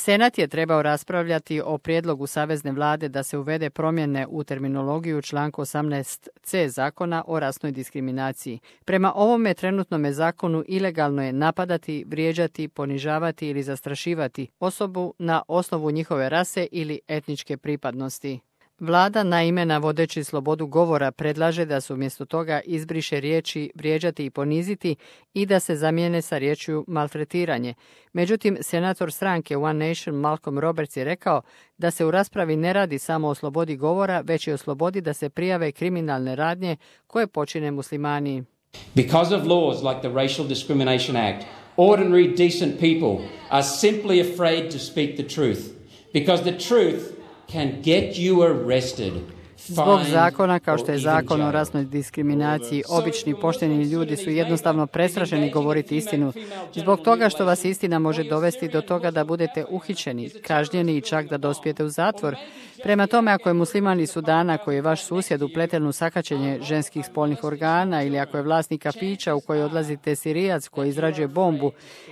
Senat je trebao raspravljati o prijedlogu savezne vlade da se uvede promjene u terminologiju članku 18c zakona o rasnoj diskriminaciji. Prema ovome trenutnome zakonu ilegalno je napadati, vrijeđati, ponižavati ili zastrašivati osobu na osnovu njihove rase ili etničke pripadnosti. Vlada, naime, navodeći slobodu govora, predlaže da se umjesto toga izbriše riječi vrijeđati i poniziti i da se zamijene sa riječju maltretiranje. Međutim, senator stranke One Nation Malcolm Roberts je rekao da se u raspravi ne radi samo o slobodi govora, već i o slobodi da se prijave kriminalne radnje koje počine muslimani. Because of laws like the Racial Discrimination Act, ordinary decent people are simply afraid to speak the truth. Because the truth can get you arrested. Zbog zakona kao što je zakon o rasnoj diskriminaciji, obični pošteni ljudi su jednostavno prestrašeni govoriti istinu. Zbog toga što vas istina može dovesti do toga da budete uhićeni, kažnjeni i čak da dospijete u zatvor. Prema tome, ako je musliman iz Sudana koji je vaš susjed upleten u sakaćenje ženskih spolnih organa ili ako je vlasnik kafića u koji odlazite Sirijac koji izrađuje bombu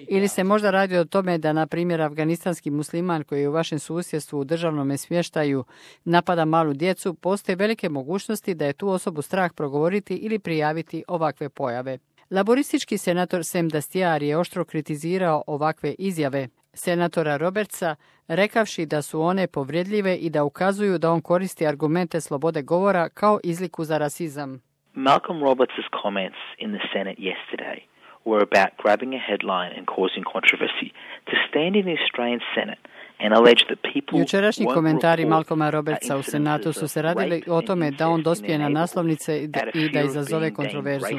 ili se možda radi o tome da, na primjer, afganistanski musliman koji je u vašem susjedstvu u državnom smještaju napada malu djecu, postoje velike mogućnosti da je tu osobu strah progovoriti ili prijaviti ovakve pojave. Laboristički senator Sam Dastier je oštro kritizirao ovakve izjave senatora Robertsa, rekavši da su one povredljive i da ukazuju da on koristi argumente slobode govora kao izliku za rasizam. Malcolm Roberts' comments in the Senate yesterday were about grabbing a headline and causing controversy. To stand in the Australian Senate Jučerašnji komentari Malcolma Robertsa u Senatu su se radili o tome da on dospije na naslovnice i da izazove kontroverzu.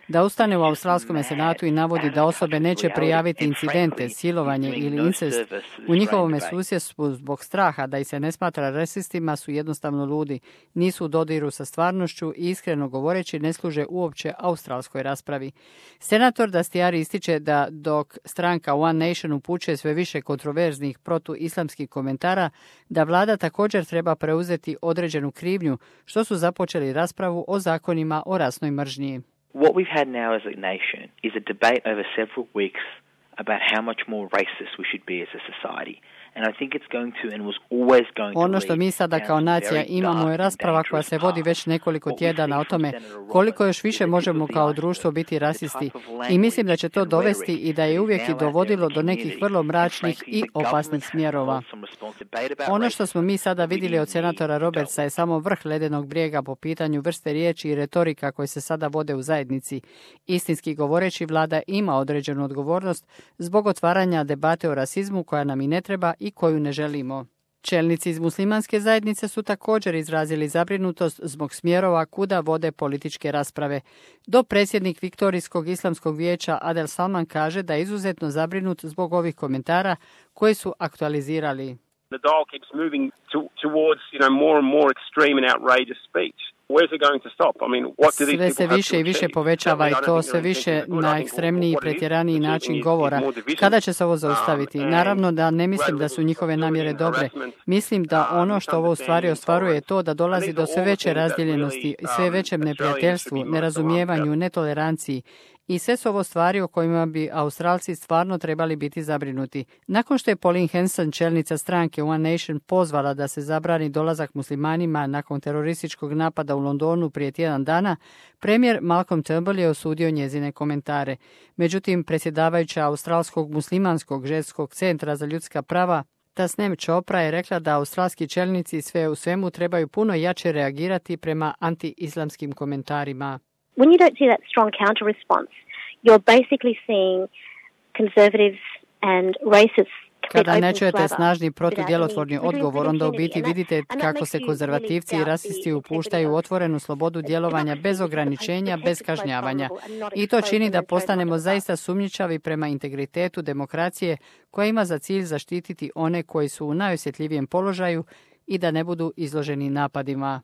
Da ustane u Australskom Senatu i navodi da osobe neće prijaviti incidente, silovanje ili incest u njihovom susjedstvu zbog straha da ih se ne smatra rasistima su jednostavno ludi. Nisu u dodiru sa stvarnošću i iskreno govoreći ne služe uopće australskoj raspravi. Senator Dastier ističe da dok stranka One Nation upućuje sve više kontroverznih islamskih komentara, da vlada također treba preuzeti određenu krivnju, što su započeli raspravu o zakonima o rasnoj mržnji. What we've had now as a nation is a debate over several weeks about how much more racist we should be as a society. Ono što mi sada kao nacija imamo je rasprava koja se vodi već nekoliko tjedana o tome koliko još više možemo kao društvo biti rasisti i mislim da će to dovesti i da je uvijek i dovodilo do nekih vrlo mračnih i opasnih smjerova. Ono što smo mi sada vidjeli od senatora Robertsa je samo vrh ledenog brijega po pitanju vrste riječi i retorika koje se sada vode u zajednici. Istinski govoreći, vlada ima određenu odgovornost zbog otvaranja debate o rasizmu koja nam i ne treba i koju ne želimo. Čelnici iz muslimanske zajednice su također izrazili zabrinutost zbog smjerova kuda vode političke rasprave. Dopredsjednik Viktorijskog islamskog vijeća Adel Salman kaže da je izuzetno zabrinut zbog ovih komentara koji su aktualizirali. The dial keeps moving towards, more and more extreme and outrageous speech. Sve se više i više povećava i to sve više na ekstremniji i pretjeraniji način govora. Kada će se ovo zaustaviti? Naravno da ne mislim da su njihove namjere dobre. Mislim da ono što ovo u stvari ostvaruje je to da dolazi do sve veće razdjeljenosti i sve većem neprijateljstvu, nerazumijevanju, netoleranciji. I sve su ovo stvari o kojima bi Australci stvarno trebali biti zabrinuti. Nakon što je Pauline Hanson, čelnica stranke One Nation, pozvala da se zabrani dolazak muslimanima nakon terorističkog napada u Londonu prije tjedan dana, premijer Malcolm Turnbull je osudio njezine komentare. Međutim, predsjedavajuća Australskog muslimanskog ženskog centra za ljudska prava Tasneem Chopra je rekla da australski čelnici sve u svemu trebaju puno jače reagirati prema anti-islamskim komentarima. When you don't see that strong counter response, you're basically seeing conservatives and racists. Kada ne čujete snažni protudjelotvorni odgovor, onda u biti vidite kako se konzervativci i rasisti upuštaju u otvorenu slobodu djelovanja bez ograničenja, bez kažnjavanja. I to čini da postanemo zaista sumnjičavi prema integritetu demokracije koja ima za cilj zaštititi one koji su u najosjetljivijem položaju i da ne budu izloženi napadima.